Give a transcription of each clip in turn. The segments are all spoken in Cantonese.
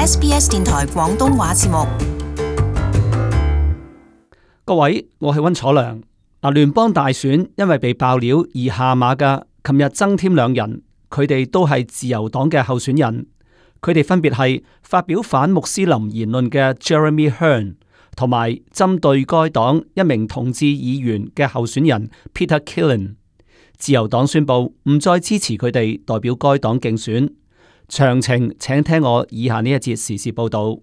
SBS 電台廣東話節目。各位，我係溫楚良。聯邦大選因為被爆料而下馬嘅，琴日增添兩人，佢哋都係自由黨嘅候選人。佢哋分別係發表反穆斯林言論嘅 Jeremy Hearn， 同埋針對該黨一名同志議員嘅候選人 Peter Killen。自由黨宣布唔再支持佢哋代表該黨競選。詳情請聽我以下呢一節時事報道。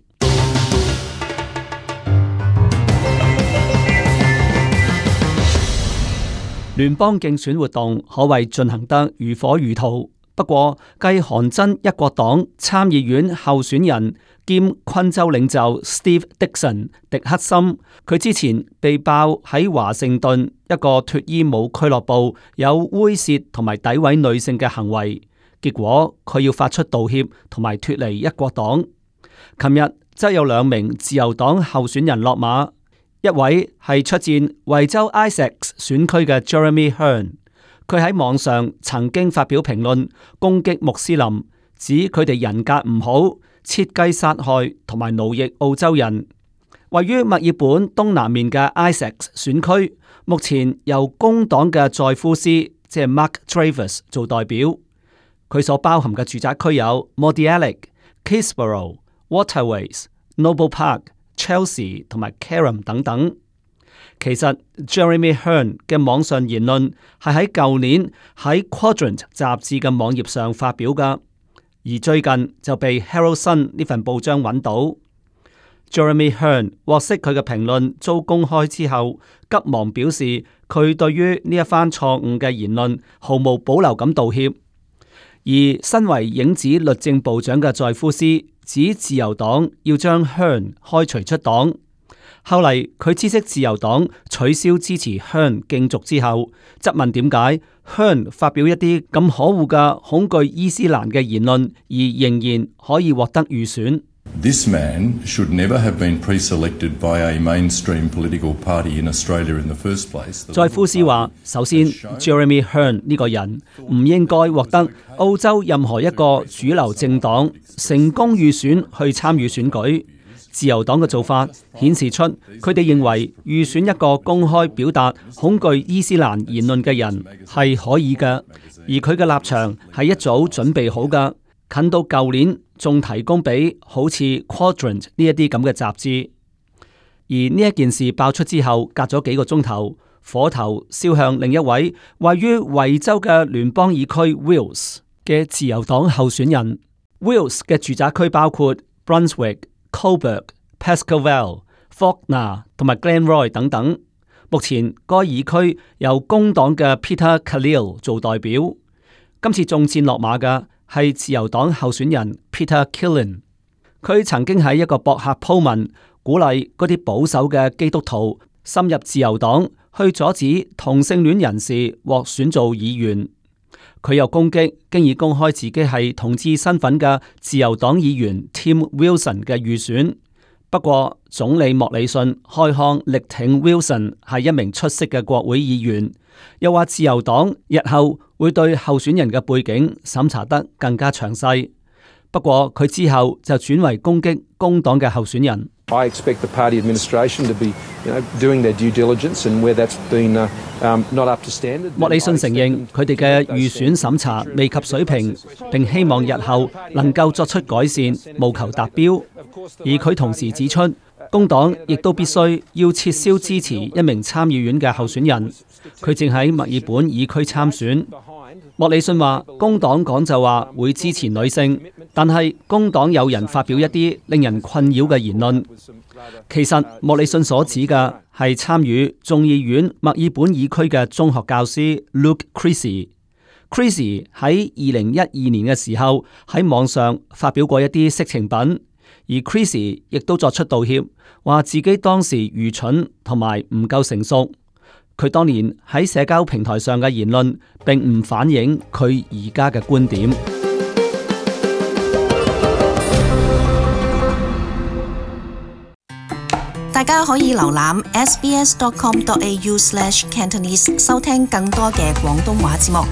聯邦競選活動可謂進行得如火如荼。不過，繼韓真一國黨參議院候選人兼昆州領袖 Steve Dickson 迪克森，佢之前被爆喺華盛頓一個脫衣舞俱樂部有猥褻同埋詆毀女性嘅行為，結果佢要發出道歉同埋脫離一國黨。琴日則有兩名自由黨候選人落馬，一位係出戰維州 Essex 選區嘅 Jeremy Hearn。佢喺網上曾經發表評論，攻擊穆斯林，指佢哋人格唔好，設計殺害同埋奴役澳洲人。位於墨爾本東南面嘅 Essex 選區，目前由工黨嘅載夫斯，即係 Mark Dreyfus 做代表。佢所包含嘅住宅區有 Mordialloc、Keysborough、Waterways、Noble Park、Chelsea 同埋 Carrum 等等。其實 Jeremy Hearn 嘅網上言論係喺舊年喺 Quadrant 雜誌嘅網頁上發表㗎，而最近就被 Herald Sun 呢份報章揾到。Jeremy Hearn 獲悉佢嘅評論遭公開之後，急忙表示佢對於呢一番錯誤嘅言論毫無保留咁道歉。而身為影子律政部長嘅載夫斯指自由黨要將 Hearn 開除出黨。後嚟佢知悉自由黨取消支持 Hearn 競逐之後，質問點解 Hearn 發表一啲咁可惡嘅恐懼伊斯蘭嘅言論，而仍然可以獲得預選。This man should never have been pre-selected by a mainstream political party in Australia in the first place. 載夫斯話：首先 ，Jeremy Hearn 呢個人唔應該獲得澳洲任何一個主流政黨成功預選去參與選舉。自由黨嘅做法顯示出佢哋認為預選一個公開表達恐懼伊斯蘭言論嘅人係可以嘅，而佢嘅立場係一早準備好嘅，近到舊年仲提供俾好似 Quadrant 呢一啲咁嘅雜誌。而呢一件事爆出之後，隔咗幾個鐘頭，火頭燒向另一位位於維州嘅聯邦議區 Wills 嘅自由黨候選人。Wills 嘅住宅區包括 Brunswick、Coburg、Pascoe、Faulkner 同埋 Glenroy 等等。目前該議區由工黨嘅 Peter Khalil 做代表。今次中箭落馬嘅係自由黨候選人 Peter Killen。佢曾經喺一個博客鋪文，鼓勵嗰啲保守嘅基督徒深入自由黨，去阻止同性戀人士獲選做議員。佢又攻擊經已公開自己係同志身份嘅自由黨議員 Tim Wilson 嘅預選。不過總理莫里遜開腔力挺 Wilson 係一名出色嘅國會議員，又話自由黨日後會對候選人嘅背景審查得更加詳細。不過佢之後就轉為攻擊工黨嘅候選人。I expect the party administration to be, doing their due diligence, and where that's been not up to standard. 莫里遜承認佢哋嘅預選審查未及水平，並希望日後能夠作出改善，務求達標。而佢同時指出，工黨亦都必須要撤銷支持一名參議院嘅候選人，佢正喺墨爾本議區參選。莫里遜話，工黨講就話會支持女性，但係工黨有人發表一啲令人困擾嘅言論。其實莫里遜所指嘅係參與眾議院墨爾本議區嘅中學教師 Luke Creasy。Creasy 喺2012年嘅時候喺網上發表過一啲色情品，而 Creasy 亦都作出道歉，話自己當時愚蠢同埋唔夠成熟。佢當年喺社交平台上嘅言論並唔反映佢而家嘅觀點。大家可以瀏覽 sbs.com.au/Cantonese 收聽更多嘅廣東話節目。